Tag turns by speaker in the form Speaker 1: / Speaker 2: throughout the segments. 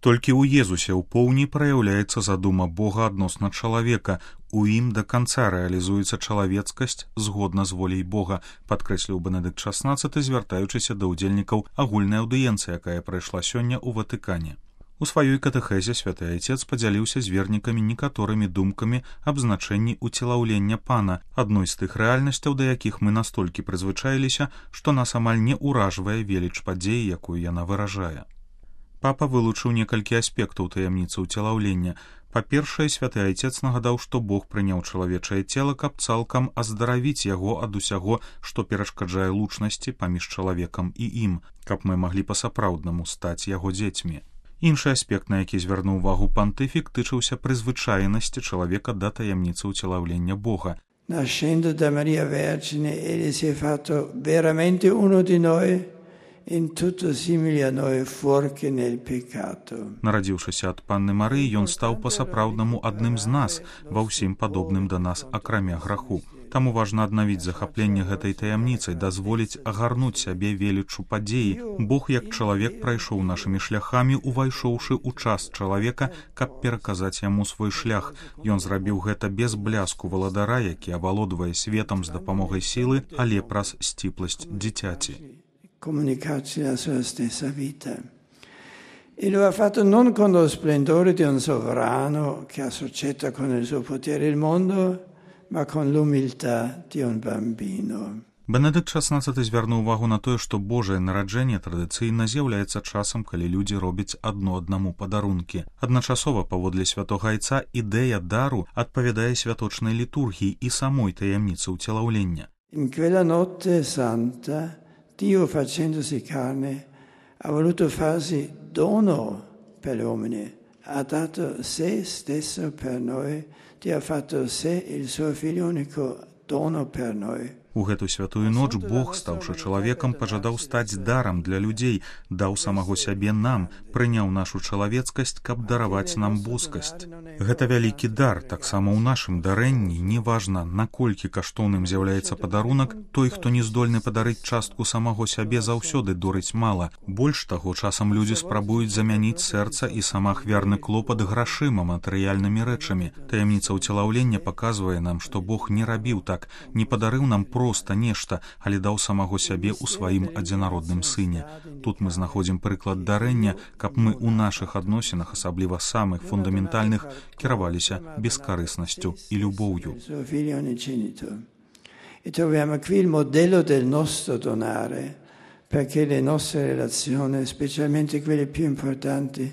Speaker 1: Толькі ў Езусе ў поўні праяўляецца задума Бога адносна чалавека. У ім да канца рэалізуецца чалавецкасць згодна з воляй Бога, падкрэсліў Бенедыкт XVI, звяртаючыся да ўдзельнікаў агульнай аўдыенцыі, якая прайшла сёння ў Ватыкане. У сваёй катэхезе святы айцец падзяліўся з вернікамі некаторымі думкамі аб значэнні уцелаўлення Пана, адной з тых рэальнасцяў, да якіх мы настолькі прызвычаіліся, што нас амаль не ўражвае веліч падзеі, якую яна выражае. Папа вылучыў некалькі аспектаў таямніцы ўцелаўлення. Па-першае, святы айцец нагадаў, што Бог прыняў чалавечае цела, каб цалкам аздаравіць яго ад усяго, што перашкаджае лучнасці паміж чалавекам і ім, каб мы маглі па-сапраўднаму стаць яго дзецьмі. Іншы аспект, на які звярнуў увагу пантыфік, тычыўся прызвычаенасці чалавека да таямніцы ўцелаўлення Бога.
Speaker 2: Nascendo da Maria Vergine, egli si è fatto veramente uno di noi, in tutto simile a noi, fuorché nel peccato.
Speaker 1: Нарадзіўшыся ад панны Марыі, ён стаў па-сапраўднаму адным з нас, ва ўсім падобным да нас, акрамя граху. Таму важна аднавіць захапленне гэтай таямніцай, дазволіць агарнуць сябе веліччу падзеі. Бог як чалавек прайшоў нашымі шляхамі, увайшоўшы ў час чалавека, каб пераказаць яму свой шлях. Ён зрабіў гэта без бляску валадара, які авалодвае светам з дапамогай сілы, але праз сціпласць дзіцяці.
Speaker 2: Comunicarci la sua stessa vita. E lo ha fatto non con lo splendore di un sovrano che associa con il suo potere il mondo, ma con l'umiltà di un bambino.
Speaker 1: Бенедыкт XVI звярнуў увагу на тое, што Божае нараджэнне традыцыйна з'яўляецца часам, калі людзі робяць адно аднаму падарункі. Адначасова, паводле святога айца, ідэя дару адпавядае святочнай літургіі і самой таямніцы ўцелаўлення.
Speaker 2: In quella notte santa, Dio facendosi carne ha voluto farsi dono per gli uomini, ha dato se stesso per noi, Dio ha fatto sé il suo figlio unico dono per noi.
Speaker 1: У гэту святую ноч Бог, стаўшы чалавекам, пажадаў стаць дарам для людзей, даў самаго сябе нам, прыняў нашу чалавецкасць, каб дараваць нам боскасць. Гэта вялікі дар, таксама ў нашым дарэнні, неважна, наколькі каштоўным з'яўляецца падарунак, той, хто не здольны падарыць частку самаго сябе, заўсёды дорыць мала. Больш таго, часам людзі спрабуюць замяніць сэрца і самаахвярны клопат грашыма, матэрыяльнымі рэчамі. Таямніца ўцелаўлення паказвае нам, што Бог не рабіў так, не падарыў нам проста нешта, але даў самаго сябе ў сваім адзінародным сыне. Тут мы знаходзім прыклад дарэння, каб мы ў нашых адносінах, асабліва самых фундаментальных, кіраваліся бескарыснасцю і любоўю.
Speaker 2: E troviamo qui il modello del nostro donare, perché le nostre relazioni, specialmente quelle più importanti,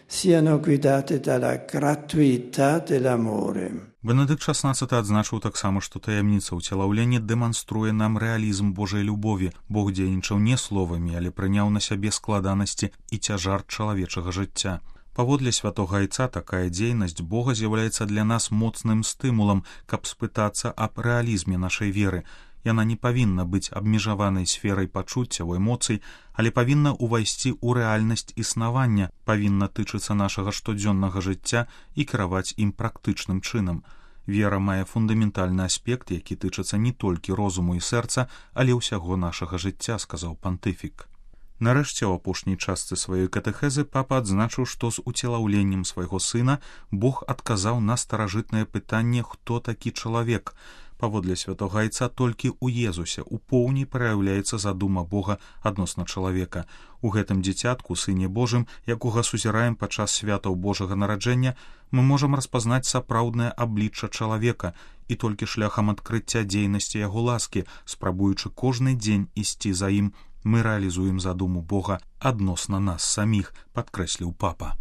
Speaker 2: siano guidate dalla gratuità dell'amore.
Speaker 1: Бенедыкт XVI адзначыў таксама, што таямніца ўцелаўлення дэманструе нам рэалізм Божай любові. Бог дзейнічаў не словамі, але прыняў на сябе складанасці і цяжар чалавечага жыцця. Паводле святога айца, такая дзейнасць Бога з'яўляецца для нас моцным стымулам, каб спытацца аб рэалізме нашай веры. Яна не павінна быць абмежаванай сферай пачуццяў, эмоцый, але павінна ўвайсці ў рэальнасць існавання, павінна тычыцца нашага штодзённага жыцця і кіраваць ім практычным чынам. Вера мае фундаментальны аспект, які тычыцца не толькі розуму і сэрца, але ўсяго нашага жыцця, сказаў пантыфік. Нарэшце, у апошняй частцы сваёй катэхезы папа адзначыў, што з уцелаўленнем свайго сына Бог адказаў на старажытнае пытанне, хто такі чалавек. Паводле святога айца, толькі ў Езусе у поўні праяўляецца задума Бога адносна чалавека. У гэтым дзіцятку, сыне Божым, якога сузіраем падчас святаў Божага нараджэння, мы можам распазнаць сапраўднае аблічча чалавека і толькі шляхам адкрыцця дзейнасці яго ласкі, спрабуючы кожны дзень ісці за ім, мы рэалізуем задуму Бога адносна нас саміх, падкрэсліў папа.